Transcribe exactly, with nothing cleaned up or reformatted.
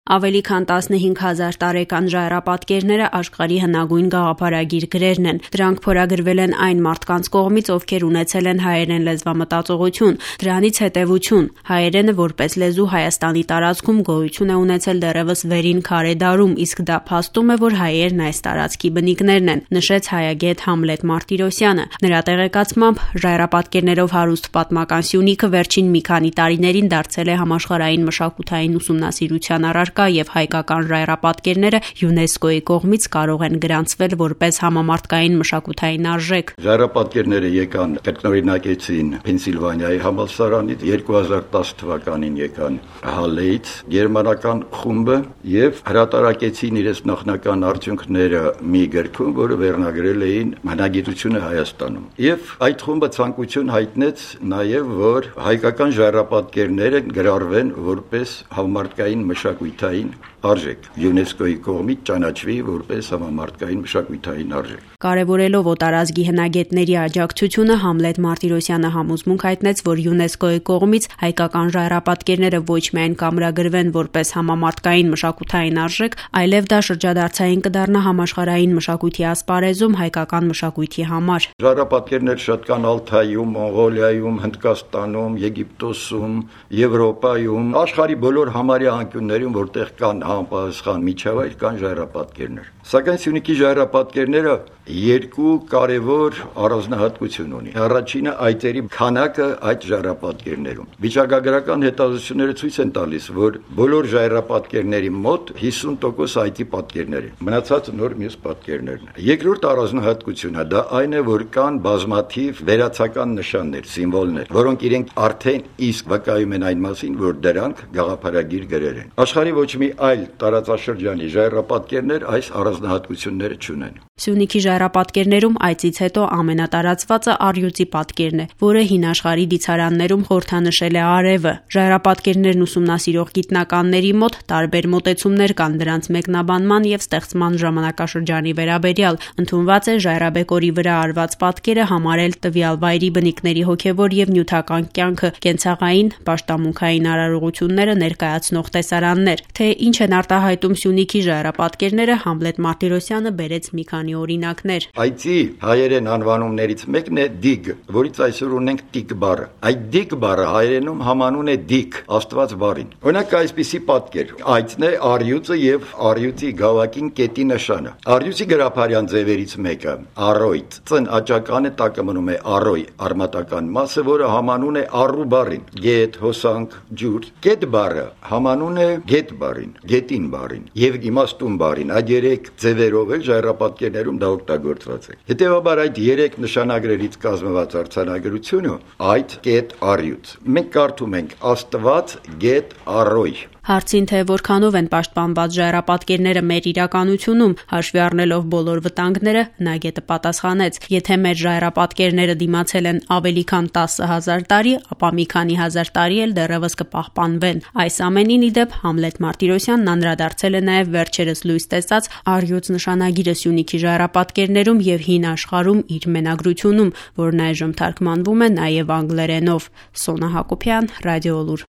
Ավելի քան տասնհինգ հազար տարեկան ժայռապատկերները աշխարհի հնագույն գաղափարագիր գրերն են։ Դրանք փորագրվել են այն մարդկանց կողմից, ովքեր ունեցել են հայերեն լեզվամտածողություն, դրանից հետևություն։ Հայերենը որպես լեզու Հայաստանի տարածքում գոյություն է ունեցել դեռևս վերին քարե դարում, իսկ դա փաստում է, որ հայերն այս տարածքի բնիկներն են, նշեց հայագետ Համլետ Մարտիրոսյանը։ Նրա տեղեկացմամբ ժայռապատկերներով հարուստ պատմական սյունիքը վերջին մի քանի տարիներին դարձել է համաշխարհային մշակութային ուսումնասիրության առարկա եւ հայկական ժայռապատկերները ՅՈՒՆԵՍԿՕ-ի կողմից կարող են գրանցվել որպես համամարտկային մշակութային արժեք։ Ժայռապատկերները եկան կրկնօրինակեցին Փենսիլվանիայի համալսարանից, երկու հազար տասը թվականին եկան Հալեից գերմանական խումբը եւ հրատարակեցին իրենց նախնական արդյունքները մի գրքում, որը վերնագրել էին Հնագիտությունը Հայաստանում։ Եվ այդ խումբը ցանկություն հայտնեց նաեւ, որ հայկական ժայռապատկերները գրառվեն որպես համամարտկային մշակութային արժեք, ՅՈՒՆԵՍԿՕ-ի կողմից ճանաչվի որպես համամարտկային մշակութային արժեք։ Կարևորելով օտարազգի հնագետների աջակցությունը, Համլետ Մարտիրոսյանը համոզմունք հայտնեց, որ ՅՈՒՆԵՍԿՕ-ի կողմից հայկական ժայռապատկերները ոչ միայն կամրագրվեն որպես համամարտկային մշակութային արժեք, այլև դա շրջադարձային կդառնա համաշխարհային մշակույթի ասպարեզում հայկական մշակույթի համար։ Ժայռապատկերներ շատ կան Ալթայում, Մոնղոլիայում, Հնդկաստանում, Եգիպտոսում, Եվրոպայում, աշխարհի բոլոր համարյա անկյուններում, որտեղ կան համապատասխան միջավայր, կան ժայռապատկերներ։ Սակայն Սյունիքի ժայռապատկերները երկու կարևոր առանձնահատկություն ունի։ Առաջինը այծերի քանակը այդ ժայռապատկերներում։ Վիճակագրական հետազոտությունները ցույց են տալիս, որ բոլոր ժայռապատկերների մոտ հիսուն տոկոս այծի պատկերներ են։ Մնացածը նոր մյուս պատկերներն են։ Երկրորդ առանձնահատկությունը դա այն է, որ կան բազմաթիվ վերացական նշաններ, սիմվոլներ, որոնք իրենք արդեն իսկ վկայում են այն մասին, որ դրանք գաղափարագիր գրեր են։ Աշխարհի ոչ մի այլ տարածաշրջանի ժայռապատկերներ այս առանձնահատկությունները չունեն։ Սյունիքի ժայռապատկերներում այծից հետո ամենատարածվածը առյուծի պատկերն է, որը հին աշխարհի դիցարաններում խորհրդանշել է արևը։ Ժայռապատկերներն ուսումնասիրող գիտնականների մոտ տարբեր մոտեցումներ կան դրանց մեկնաբանման եւ ստեղծման ժամանակաշրջանի վերաբերյալ։ Ընդունված է ժայռաբեկորի վրա արված պատկերը համարել տվյալ վայրի բնիկների հոգեվոր եւ նյութական կյանքը, կենցաղային, պաշտամունքային արարողությունները ներկայացնող տեսարաններ։ Թե ինչ են արտահայտում Սյունիքի ժայռապատկերները, Համլետ Մարտիրոսյանը բերեց մի քանի օրինակներ։ Այծի հայերեն անվանումներից մեկն է դիգ, որից այսօր ունենք տիկ բառը։ Այդ դիգ բառը հայերենում համանուն է դիք, Աստված բառին։ Օրինակ այսպիսի պատկեր. այծն է առյուծը եւ առյուծի գավակին կետի նշանը։ Առյուծի գրափարյան ձևերից մեկը առոյտ, ծն աճականը տակը մնում է առոյ, արմատական մասը, որը համանուն է առու բառին։ Գետ, հոսանք, ջուր։ Կետ բառը համանուն է գետ բառին, գետին բառին եւ իմաստուն բառին։ Այդ երեք ձևերով էլ ժայռապատկերներում դա օգտագործված է։ Հետևաբար այդ երեք նշանագրերից կազմված արձանագրությունը այդ կետ առյուծ։ Մենք կարդում ենք Աստված գետ առոյ։ Հարցին, թե որքանով են պաշտպանված ժայռապատկերները մեր իրականությունում, հաշվի առնելով բոլոր վտանգները, հնագետը պատասխանեց. եթե մեր ժայռապատկերները դիմացել են ավելի քան տասը հազար տարի, ապա մի քանի հազար տարի էլ դեռևս կպահպանվեն։ Այս ամենին ի դեպ Համլետ Մարտիրոսյանն անդրադարձել է նաև վերջերս լույս տեսած առյուծ նշանագիրը Սյունիքի ժայռապատկերներում եւ հին աշխարհում իր մենագրությունում, որն այժմ թարգմանվում է նաև անգլերենով։ Սոնա Հակոբյան, Ռադիոլուր։